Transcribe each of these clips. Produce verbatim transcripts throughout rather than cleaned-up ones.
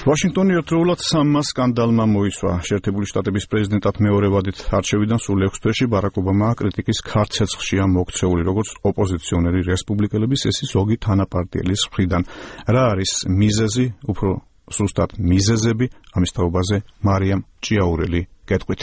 ვაშინგტონი ერთდროულად სამმა სკანდალმა მოიცვა. შეერთებული შტატების პრეზიდენტად მეორე ვადით არჩევიდან სულ ექვს თვეში ბარაკ ობამა კრიტიკის ქარ ცეცხლშია მოქცეული, როგორც ოპოზიციონერი რესპუბლიკელების, ესე ზოგი თანაპარტიელის მხრიდან. რა არის მიზეზი, უფრო სუსტად მიზეზები, ამის თაობაზე მარიამ ჭიაურელი გეტყვით.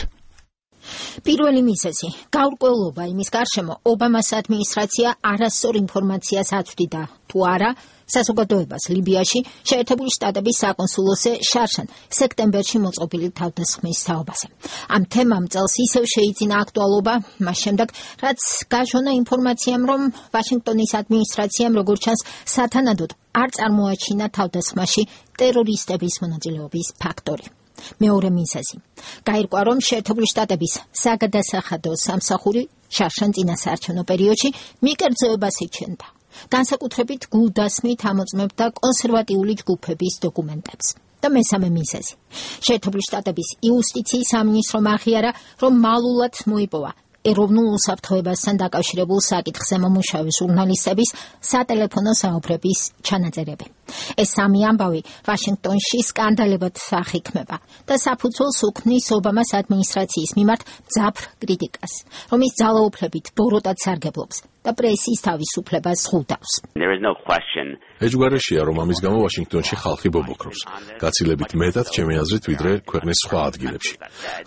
პირველი მიზეზი გაურკვევლობა იმის გარშემო ობამას ადმინისტრაცია არასწორ ინფორმაციას აწვდიდა თუ არა საზოგადოებას ლიბიაში შეერთებული შტატების საკონსულოზე შარშან სექტემბერში მოწყობილი თავდასხმის თაობაზე. ამ თემამ წელს ისევ შეიძინა აქტუალობა მას შემდეგ, რაც გაჟონა ინფორმაციამ, რომ ვაშინგტონის ადმინისტრაციამ როგორც ჩანს სათანადოდ არ წარმოაჩინა თავდასხმაში ტერორისტების მონაწილეობის ფაქტორი. მეორე მიზეზი გაირკვა, რომ შეერთებული შტატების საგადასახადო სამსახური შარშან წინასაარჩევნო პერიოდში მიკერძოებას იჩენდა. განსაკუთრებით გულდასმით ამოწმებდა კონსერვატიული ჯგუფების დოკუმენტებს. და მესამე მიზეზი შეერთებული შტატების იუსტიციის სამინისტრომ აღიარა, რომ მალულად მოიპოვა ეროვნულ უსაფრთხოებასთან დაკავშირებულ საკითხზე მომუშავე ჟურნალისტების სატელეფონო საუბრების ჩანაწერები. ეს სამი ამბავი ვაშინგტონში სკანდალებად აღიქმება და საფუძველს უქმნის ობამას ადმინისტრაციის მიმართ მძაფრ კრიტიკას, რომის ძალაუფლებით ბოროტად სარგებლობს და პრესის თავისუფლებას ზღუდავს. ეჯგვარაშია, რომ ამის გამო ვაშინგტონში ხალხი ბობოქრობს. გაცილებით მეტად ჩემი აზრით, ვიდრე ქვეყნის სხვა ადგილებში.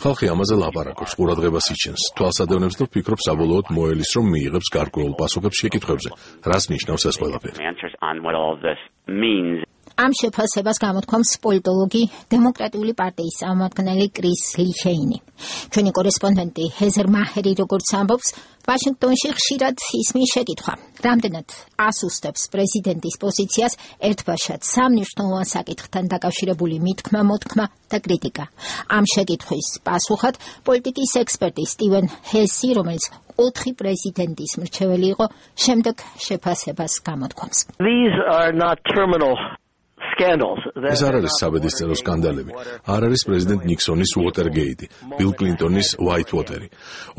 ხალხი ამაზე ლაპარაკობს, ყურადღებას იჩენს, თვალსადევნებს და ვფიქრობ საბოლოოდ მოელის, რომ მიიღებს გარკვეულ პასუხებს შეკითხვებზე, რას ნიშნავს ეს ყველაფერი. ამ შეფასებას გამოთქვამს პოლიტოლოგი დემოკრატიული პარტიის წარმომადგენელი კრის ლიხეინი. ჩვენი კორესპონდენტი ჰეზერ მაჰერი როგორც ამბობს, ვაშინგტონში ხშირად ისმის შეკითხვა, რამდენად ასუსტებს პრეზიდენტის პოზიციას ერთბაშად სამ მნიშვნელოვან საკითხთან დაკავშირებული მითქმა, მოთქმა და კრიტიკა. ამ შეკითხვის პასუხად პოლიტიკის ექსპერტი სტივენ ჰესი, რომელიც ოთხი პრეზიდენტის მრჩეველი იყო, შემდეგ შეფასებას გამოთქვამს. ეს არ არის საბედისწერო სკანდალები. არ არის პრეზიდენტ ნიქსონის უოტერგეიტი, ბილ კლინტონის უაითვოტერი.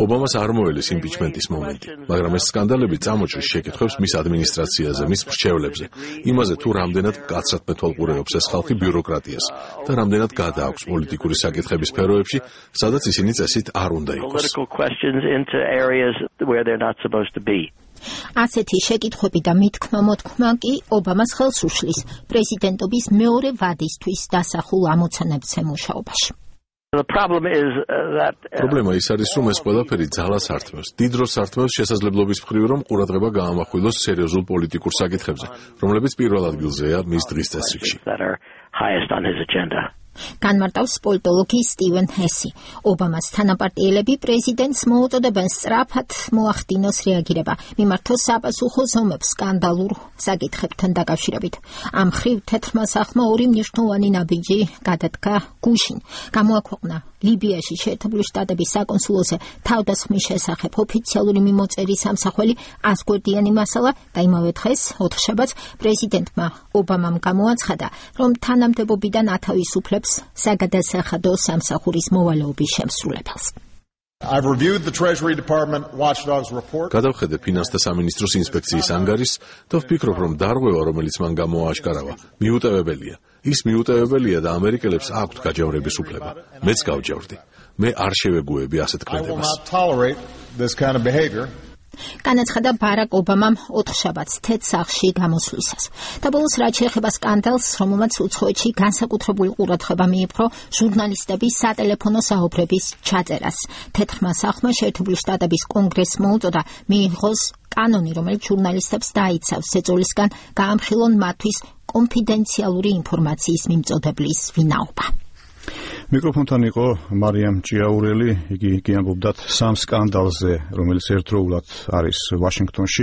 ობამას არ მოელის იმპიჩმენტის მომენტი, მაგრამ ეს სკანდალები წამოჭრის შეკითხვებს მის ადმინისტრაციაზე, მის მრჩევლებზე, იმაზე თუ რამდენად მკაცრად მეთვალყურეობს ეს ხალხი ბიუროკრატიას და რამდენად გადააქვს პოლიტიკური საკითხების სფეროებში, სადაც ისინი წესით არ უნდა იყოს. ასეთი შეკითხვები და მითქმა-მოთქმა კი ობამას ხელს უშლის პრეზიდენტობის მეორე ვადისთვის დასახულ ამოცანებზე მუშაობაში. პრობლემა ის არის, რომ ეს ყველაფერი ძალას ართმევს. დიდ დროს ართმევს შესაძლებლობის მხრივ, რომ ყურადღება გაამახვილოს სერიოზულ პოლიტიკურ საკითხებზე, რომლებიც პირველ ადგილზეა მის დღის წესრიგში. განმარტავს პოლიტოლოგი სტივენ ჰესი. ობამას თანაპარტიელები პრეზიდენტს მოუწოდებენ სწრაფად მოახდინოს რეაგირება, მიმართოს საპასუხო ზომებს სკანდალურ საკითხებთან დაკავშირებით. ამ მხრივ თეთრმა სახლმა ორი მნიშვნელოვანი ნაბიჯი გადადგა გუშინ. გამოაქვეყნა ლიბიაში შეერთებული შტატების საკონსულოზე თავდასხმის შესახებ ოფიციალური მიმოწერის სამსახველი აზგვერდიანი მასალა და იმავე დღეს, ოთხშაბათს, პრეზიდენტმა ობამამ გამოაცხადა, რომ თანამდებობიდან ათავისუფლებს საგადასახადო სამსახურის მოვალეობის შემსრულებელს. გადავხედე ფინანსთა სამინისტროს ინსპექციის ანგარიშს და ვფიქრობ, რომ დარღვევა, რომელიც მან გამოააშკარავა, მიუტევებელია. ის მიუტევებელია და ამერიკელებს აქვთ გაჯავრების უფლება. მეც გავჯავრდი. მე არ შევეგუები ასეთ ქმედებას. განაცხადა ბარაკ ობამამ ოთხშაბათს თეთრ სახლში გამოსვლისას. და ბოლოს რაც შეეხება სკანდალს, რომელმაც უცხოეთში განსაკუთრებული ყურადღება მიიპყრო ჟურნალისტების სატელეფონო საუბრების ჩაწერას. თეთრმა სახლმა შეერთებული შტატების კონგრესს მოუწოდა მიიღოს კანონი, რომელიც ჟურნალისტებს დაიცავს ეწოლისგან გაამხილონ მათთვის კონფიდენციალური ინფორმაციის მიმწოდებლის ვინაობა. მიკროფონთან იყო მარიამ ჭიაურელი, იგი კი ამბობდა სამ სკანდალზე, რომელიც ერთდროულად არის ვაშინგტონში.